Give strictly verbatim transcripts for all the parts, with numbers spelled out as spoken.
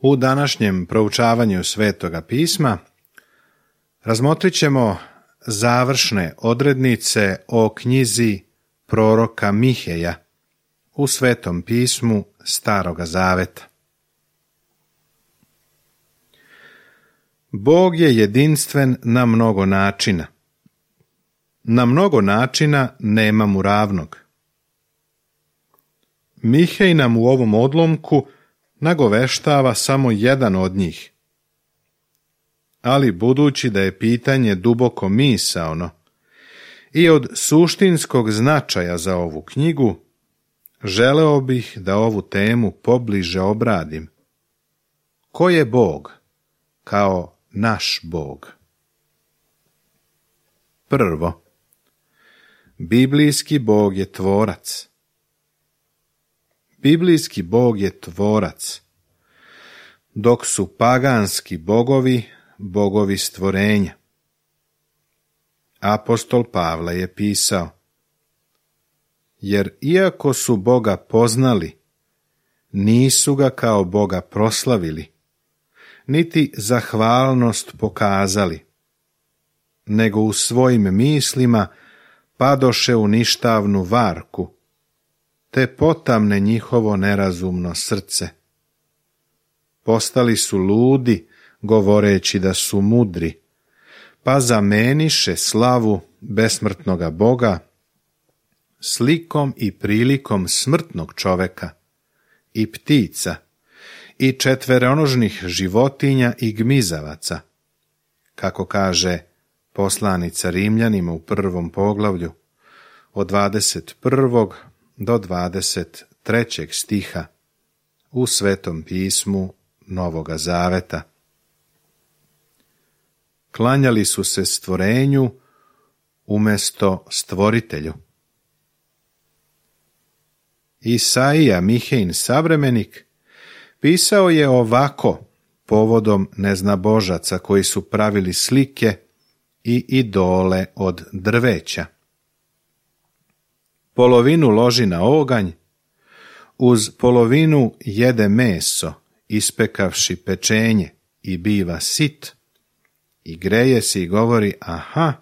U današnjem proučavanju Svetoga pisma razmotrit ćemo završne odrednice o knjizi proroka Miheja u Svetom pismu Staroga Zaveta. Bog je jedinstven na mnogo načina. Na mnogo načina nema mu ravnog. Mihej nam u ovom odlomku nagoveštava samo jedan od njih. Ali budući da je pitanje duboko misaono i od suštinskog značaja za ovu knjigu, želeo bih da ovu temu pobliže obradim. Ko je Bog kao naš Bog? Prvo, biblijski Bog je tvorac. Biblijski Bog je tvorac, dok su paganski bogovi bogovi stvorenja. Apostol Pavle je pisao: jer iako su Boga poznali, nisu ga kao Boga proslavili, niti zahvalnost pokazali, nego u svojim mislima padoše u ništavnu varku, te potamne njihovo nerazumno srce. Postali su ludi, govoreći da su mudri, pa zameniše slavu besmrtnoga Boga slikom i prilikom smrtnog čoveka i ptica i četveronožnih životinja i gmizavaca, kako kaže poslanica Rimljanima u prvom poglavlju od dvadeset prvog do dvadeset trećeg stiha u Svetom pismu Novoga Zaveta. Klanjali su se stvorenju umjesto stvoritelju. Isaija, Mihejin savremenik, pisao je ovako povodom neznabožaca koji su pravili slike i idole od drveća. Polovinu loži na oganj, uz polovinu jede meso, ispekavši pečenje, i biva sit, i greje se i govori: aha,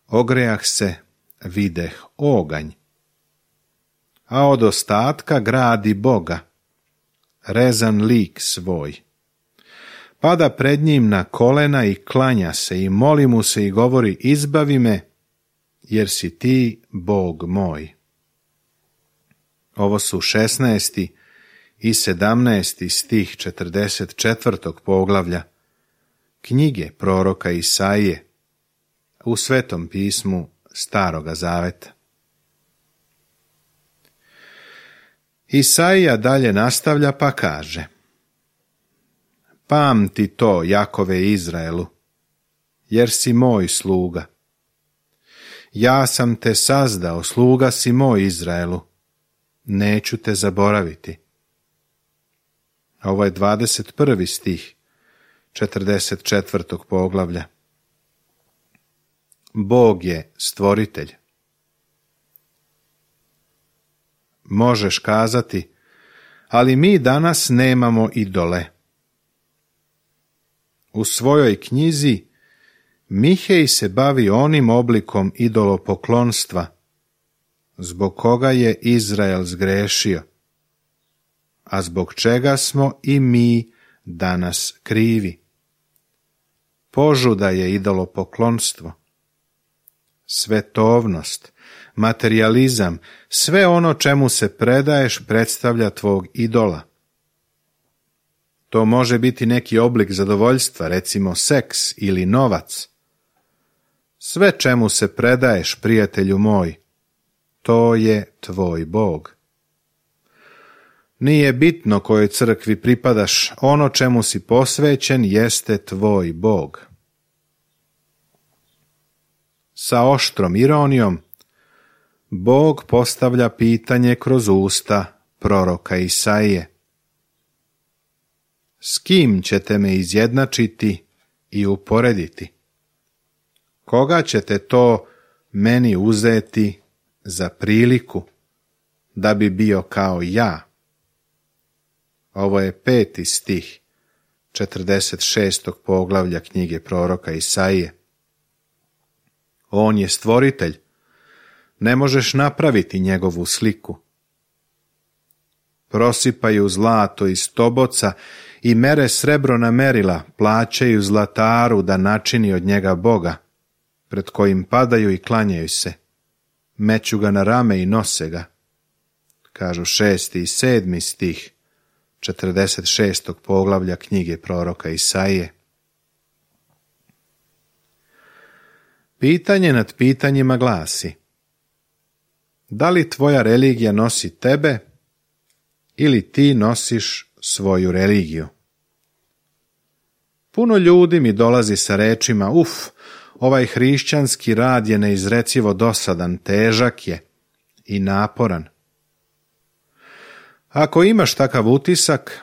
ogrejah se, videh oganj. A od ostatka gradi Boga, rezan lik svoj. Pada pred njim na kolena i klanja se i moli mu se i govori: izbavi me, jer si ti Bog moj. Ovo su šesnaesti i sedamnaesti stih četrdeset četvrtog poglavlja knjige proroka Isaije u Svetom pismu Staroga Zaveta. Isaija dalje nastavlja pa kaže: pamti to, Jakove Izraelu, jer si moj sluga. Ja sam te sazdao, sluga si moj Izraelu, neću te zaboraviti. Ovo je dvadeset prvi stih četrdeset četvrtog poglavlja. Bog je stvoritelj. Možeš kazati: ali mi danas nemamo idole. U svojoj knjizi Mihej se bavi onim oblikom idolopoklonstva zbog koga je Izrael zgrešio, a zbog čega smo i mi danas krivi. Požuda je idolopoklonstvo, svetovnost, materijalizam, sve ono čemu se predaješ predstavlja tvog idola. To može biti neki oblik zadovoljstva, recimo seks ili novac. Sve čemu se predaješ, prijatelju moj, to je tvoj Bog. Nije bitno kojoj crkvi pripadaš, ono čemu si posvećen jeste tvoj Bog. Sa oštrom ironijom Bog postavlja pitanje kroz usta proroka Isaije: s kim ćete me izjednačiti i uporediti? Koga ćete to meni uzeti za priliku da bi bio kao ja? Ovo je peti stih četrdeset šestog poglavlja knjige proroka Isaije. On je stvoritelj, ne možeš napraviti njegovu sliku. Prosipaju zlato iz toboca i mere srebro na merila, plaćaju zlataru da načini od njega Boga, pred kojim padaju i klanjaju se. Meću ga na rame i nose ga, kažu šesti i sedmi stih četrdeset šestog poglavlja knjige proroka Isaije. Pitanje nad pitanjima glasi: da li tvoja religija nosi tebe ili ti nosiš svoju religiju? Puno ljudi mi dolazi sa rečima: uf, ovaj hrišćanski rad je neizrecivo dosadan, težak je i naporan. Ako imaš takav utisak,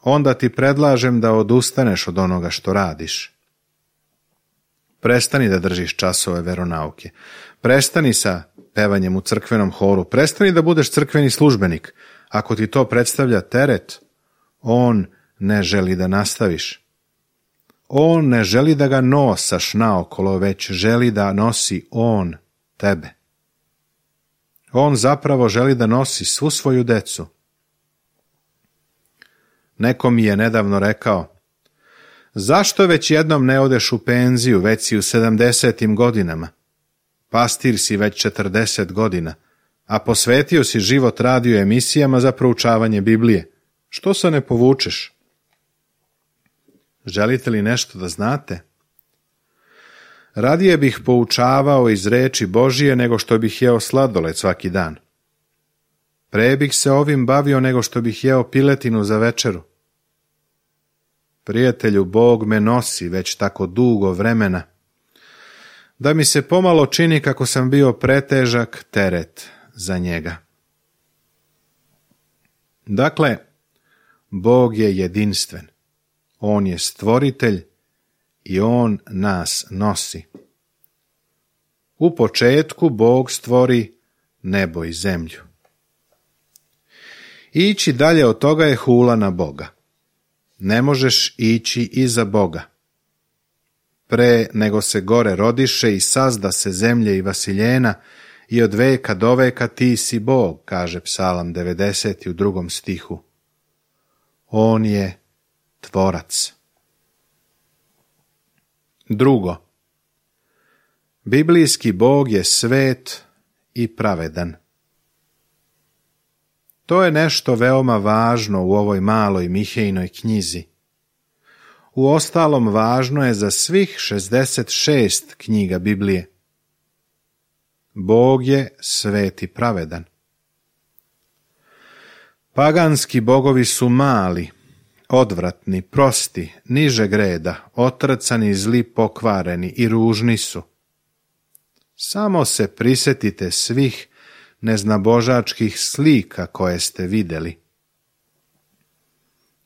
onda ti predlažem da odustaneš od onoga što radiš. Prestani da držiš časove veronauke. Prestani sa pevanjem u crkvenom horu. Prestani da budeš crkveni službenik. Ako ti to predstavlja teret, on ne želi da nastaviš. On ne želi da ga nosaš naokolo, već želi da nosi on tebe. On zapravo želi da nosi svu svoju decu. Neko mi je nedavno rekao: zašto već jednom ne odeš u penziju, već si u sedamdesetim godinama? Pastir si već četrdeset godina, a posvetio si život radio emisijama za proučavanje Biblije. Što se ne povučeš? Želite li nešto da znate? Radije bih poučavao iz reči Božije nego što bih jeo sladoled svaki dan. Pre bih se ovim bavio nego što bih jeo piletinu za večeru. Prijatelju, Bog me nosi već tako dugo vremena, da mi se pomalo čini kako sam bio pretežak teret za njega. Dakle, Bog je jedinstven. On je stvoritelj i on nas nosi. U početku Bog stvori nebo i zemlju. Ići dalje od toga je hula na Boga. Ne možeš ići iza Boga. Pre nego se gore rodiše i sazda se zemlje i vasiljena, i od veka do veka ti si Bog, kaže Psalam devedeset u drugom stihu. On je tvorac. Drugo, biblijski Bog je svet i pravedan. To je nešto veoma važno u ovoj maloj Mihejinoj knjizi. Uostalom, važno je za svih šezdeset šest knjiga Biblije. Bog je svet i pravedan. Paganski bogovi su mali, odvratni, prosti, nižeg reda, otrcani, zli, pokvareni i ružni su. Samo se prisetite svih neznabožačkih slika koje ste vidjeli.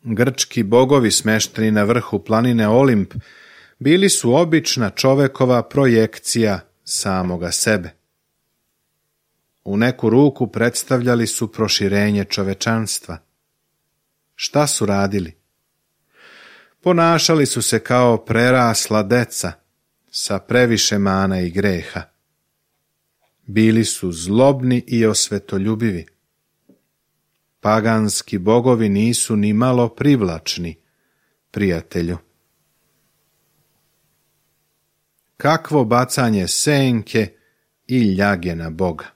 Grčki bogovi smešteni na vrhu planine Olimp bili su obična čovekova projekcija samoga sebe. U neku ruku predstavljali su proširenje čovečanstva. Šta su radili? Ponašali su se kao prerasla deca sa previše mana i greha. Bili su zlobni i osvetoljubivi. Paganski bogovi nisu ni malo privlačni, prijatelju. Kakvo bacanje senke i ljage na Boga.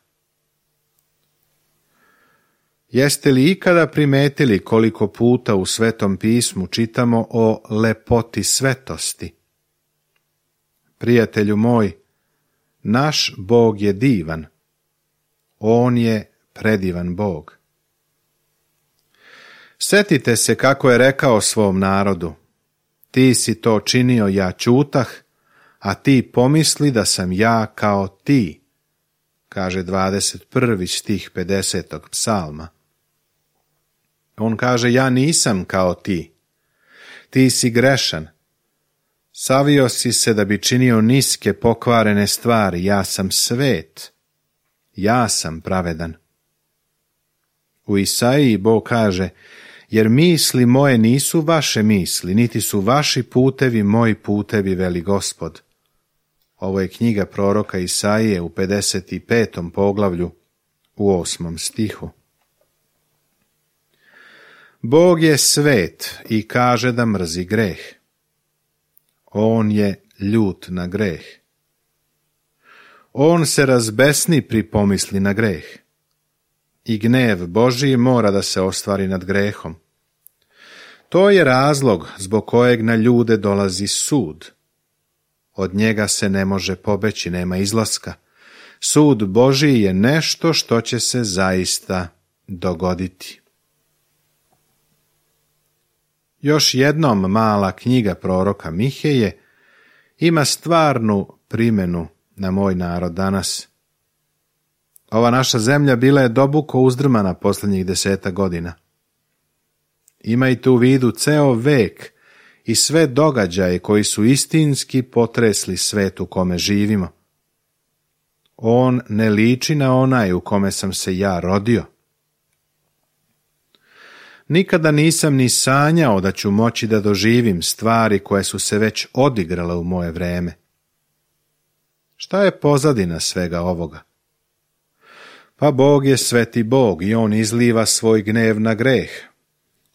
Jeste li ikada primetili koliko puta u Svetom pismu čitamo o lepoti svetosti? Prijatelju moj, naš Bog je divan. On je predivan Bog. Setite se kako je rekao svom narodu: ti si to činio, ja ćutah, a ti pomisli da sam ja kao ti, kaže dvadeset prvi stih pedesetog psalma. On kaže: ja nisam kao ti. Ti si grešan. Savio si se da bi činio niske pokvarene stvari. Ja sam svet. Ja sam pravedan. U Isaiji Bog kaže: jer misli moje nisu vaše misli, niti su vaši putevi moji putevi, veli Gospod. Ovo je knjiga proroka Isaije u pedeset petom poglavlju u osmom stihu. Bog je svet i kaže da mrzi greh. On je ljut na greh. On se razbesni pri pomisli na greh. I gnev Božji mora da se ostvari nad grehom. To je razlog zbog kojeg na ljude dolazi sud. Od njega se ne može pobeći, nema izlaska. Sud Božji je nešto što će se zaista dogoditi. Još jednom mala knjiga proroka Miheje ima stvarnu primjenu na moj narod danas. Ova naša zemlja bila je duboko uzdrmana posljednjih deseta godina. Imajte u vidu ceo vek i sve događaje koji su istinski potresli svet u kome živimo. On ne liči na onaj u kome sam se ja rodio. Nikada nisam ni sanjao da ću moći da doživim stvari koje su se već odigrale u moje vreme. Šta je pozadina svega ovoga? Pa Bog je sveti Bog i on izliva svoj gnev na greh.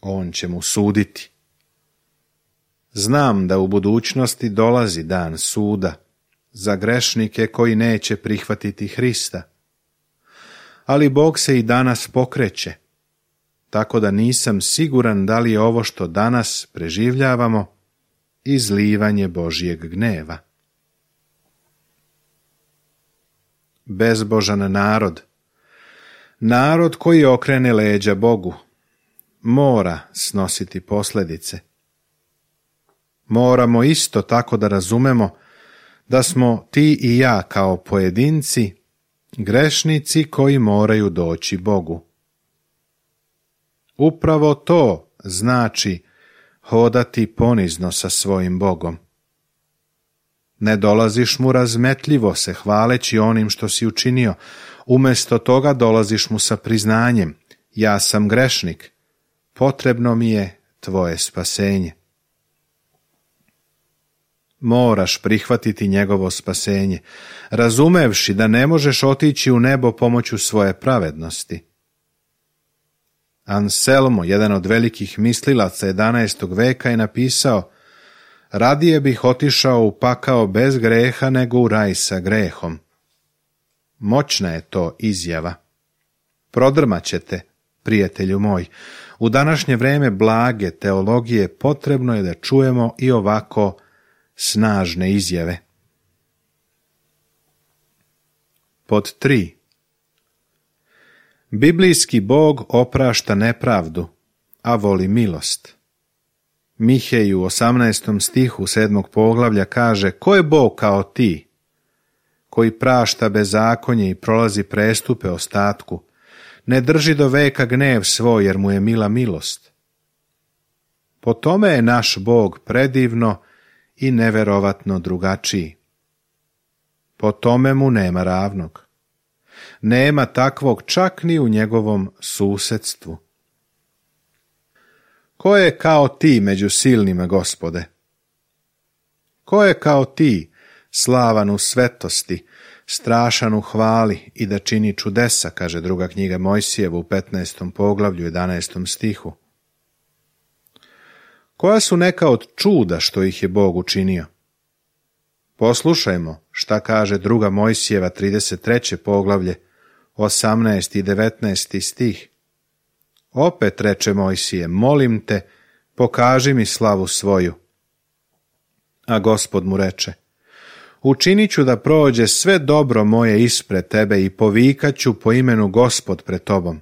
On će mu suditi. Znam da u budućnosti dolazi dan suda za grešnike koji neće prihvatiti Hrista. Ali Bog se i danas pokreće, tako da nisam siguran da li je ovo što danas preživljavamo izlivanje Božjeg gneva. Bezbožan narod, narod koji okrene leđa Bogu, mora snositi posljedice. Moramo isto tako da razumemo da smo ti i ja kao pojedinci grešnici koji moraju doći Bogu. Upravo to znači hodati ponizno sa svojim Bogom. Ne dolaziš mu razmetljivo se hvaleći onim što si učinio, umjesto toga dolaziš mu sa priznanjem: ja sam grešnik, potrebno mi je tvoje spasenje. Moraš prihvatiti njegovo spasenje, razumevši da ne možeš otići u nebo pomoću svoje pravednosti. Anselmo, jedan od velikih mislilaca jedanaestog veka, je napisao: radije bih otišao u pakao bez greha nego u raj sa grehom. Moćna je to izjava. Prodrmat ćete, prijatelju moj. U današnje vreme blage teologije potrebno je da čujemo i ovako snažne izjave. Pod tri. Biblijski Bog oprašta nepravdu, a voli milost. Mihej u osamnaestom stihu sedmog poglavlja kaže: ko je Bog kao ti, koji prašta bezakonje i prolazi prestupe ostatku, ne drži do veka gnev svoj, jer mu je mila milost. Po tome je naš Bog predivno i neverovatno drugačiji. Po tome mu nema ravnog. Nema takvog čak ni u njegovom susedstvu. Ko je kao ti među silnima, Gospode? Ko je kao ti, slavan u svetosti, strašan u hvali i da čini čudesa, kaže druga knjiga Mojsijeva u petnaestom poglavlju jedanaestom stihu. Koja su neka od čuda što ih je Bog učinio? Poslušajmo šta kaže druga Mojsijeva trideset treće poglavlje, osamnaesti i devetnaesti stih. Opet reče Mojsije: molim te, pokaži mi slavu svoju. A Gospod mu reče: učinit ću da prođe sve dobro moje ispred tebe i povikat ću po imenu Gospod pred tobom.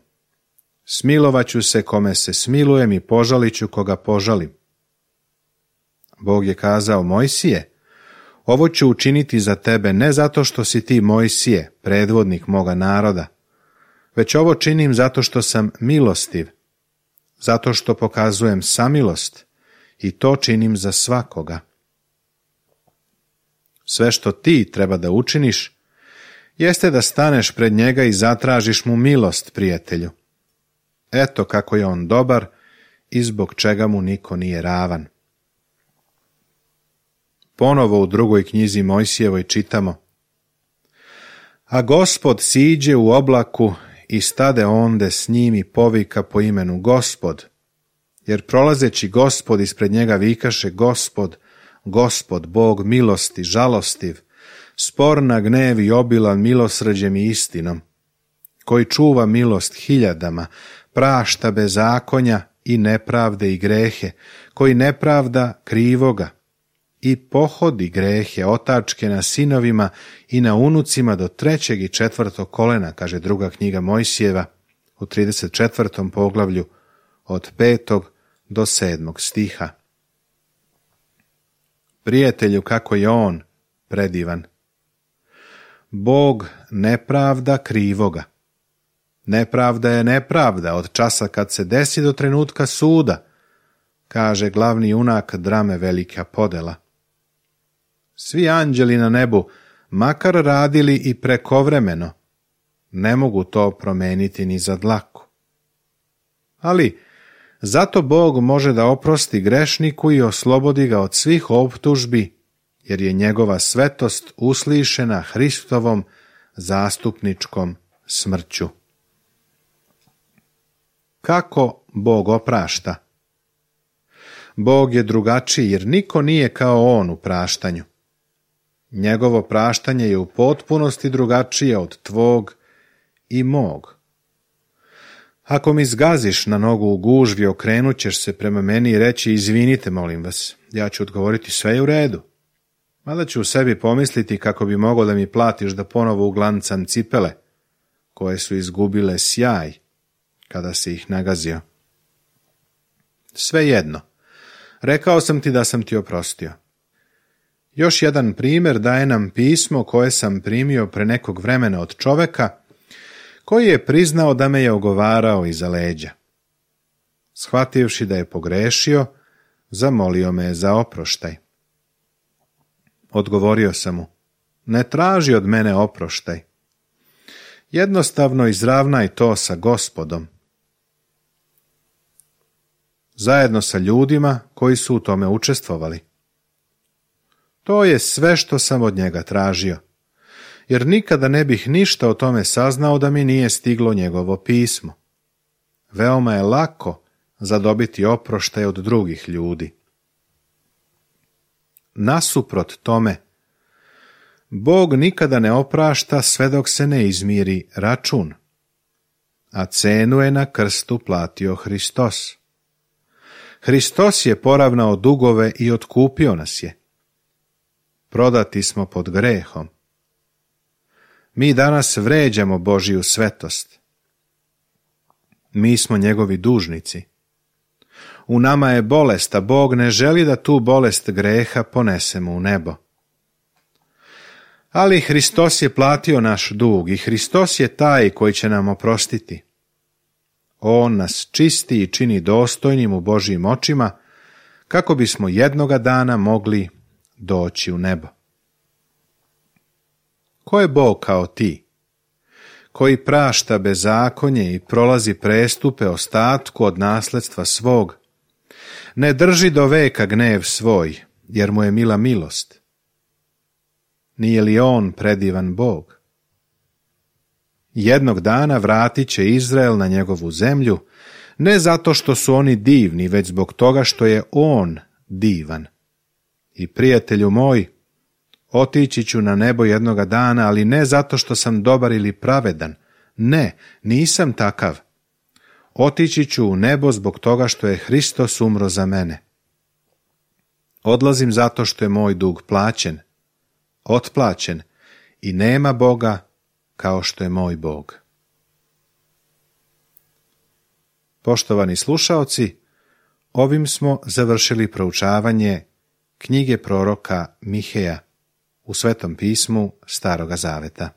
Smilovat ću se kome se smilujem i požalit ću koga požalim. Bog je kazao: Mojsije, ovo ću učiniti za tebe ne zato što si ti Mojsije, predvodnik moga naroda, već ovo činim zato što sam milostiv, zato što pokazujem samilost i to činim za svakoga. Sve što ti treba da učiniš jeste da staneš pred njega i zatražiš mu milost, prijatelju. Eto kako je on dobar i zbog čega mu niko nije ravan. Ponovo u drugoj knjizi Mojsijevoj čitamo: A Gospod siđe u oblaku i stade onde s njim i povika po imenu Gospod, jer prolazeći Gospod ispred njega vikaše: Gospod, Gospod, Bog milosti, žalostiv, spor na gnev i obilan milosrđem i istinom, koji čuva milost hiljadama, prašta bezakonja i nepravde i grehe, koji nepravda krivoga i pohodi grehe otačke na sinovima i na unucima do trećeg i četvrtog kolena, kaže druga knjiga Mojsijeva u trideset četvrtom poglavlju od petog do sedmog stiha. Prijatelju, kako je on predivan! Bog nepravda krivoga. Nepravda je nepravda od časa kad se desi do trenutka suda, kaže glavni junak drame Velika podela. Svi anđeli na nebu, makar radili i prekovremeno, ne mogu to promeniti ni za dlaku. Ali zato Bog može da oprosti grešniku i oslobodi ga od svih optužbi, jer je njegova svetost uslišena Hristovom zastupničkom smrću. Kako Bog oprašta? Bog je drugačiji, jer niko nije kao on u praštanju. Njegovo praštanje je u potpunosti drugačije od tvog i mog. Ako mi zgaziš na nogu u gužvi, okrenut ćeš se prema meni i reći: izvinite, molim vas. Ja ću odgovoriti: sve je u redu. Mada ću u sebi pomisliti kako bi mogao da mi platiš da ponovo uglancam cipele, koje su izgubile sjaj kada si ih nagazio. Svejedno, rekao sam ti da sam ti oprostio. Još jedan primjer daje nam pismo koje sam primio pre nekog vremena od čoveka koji je priznao da me je ogovarao iza leđa. Shvativši da je pogrešio, zamolio me za oproštaj. Odgovorio sam mu: ne traži od mene oproštaj. Jednostavno izravnaj to sa Gospodom, zajedno sa ljudima koji su u tome učestvovali. To je sve što sam od njega tražio, jer nikada ne bih ništa o tome saznao da mi nije stiglo njegovo pismo. Veoma je lako zadobiti oproštaj od drugih ljudi. Nasuprot tome, Bog nikada ne oprašta sve dok se ne izmiri račun, a cenu je na krstu platio Hristos. Hristos je poravnao dugove i otkupio nas je. Prodati smo pod grehom. Mi danas vređamo Božiju svetost. Mi smo njegovi dužnici. U nama je bolest, a Bog ne želi da tu bolest greha ponesemo u nebo. Ali Hristos je platio naš dug i Hristos je taj koji će nam oprostiti. On nas čisti i čini dostojnim u Božjim očima, kako bismo jednoga dana mogli doći u nebo. Ko je Bog kao ti, koji prašta bezakonje i prolazi prestupe ostatku od nasledstva svog, ne drži do veka gnev svoj, jer mu je mila milost? Nije li on predivan Bog? Jednog dana vratit će Izrael na njegovu zemlju, ne zato što su oni divni, već zbog toga što je on divan. I prijatelju moj, otići ću na nebo jednoga dana, ali ne zato što sam dobar ili pravedan. Ne, nisam takav. Otići ću u nebo zbog toga što je Hristos umro za mene. Odlazim zato što je moj dug plaćen, otplaćen i nema Boga kao što je moj Bog. Poštovani slušaoci, ovim smo završili proučavanje knjige proroka Miheja u Svetom pismu Staroga Zaveta.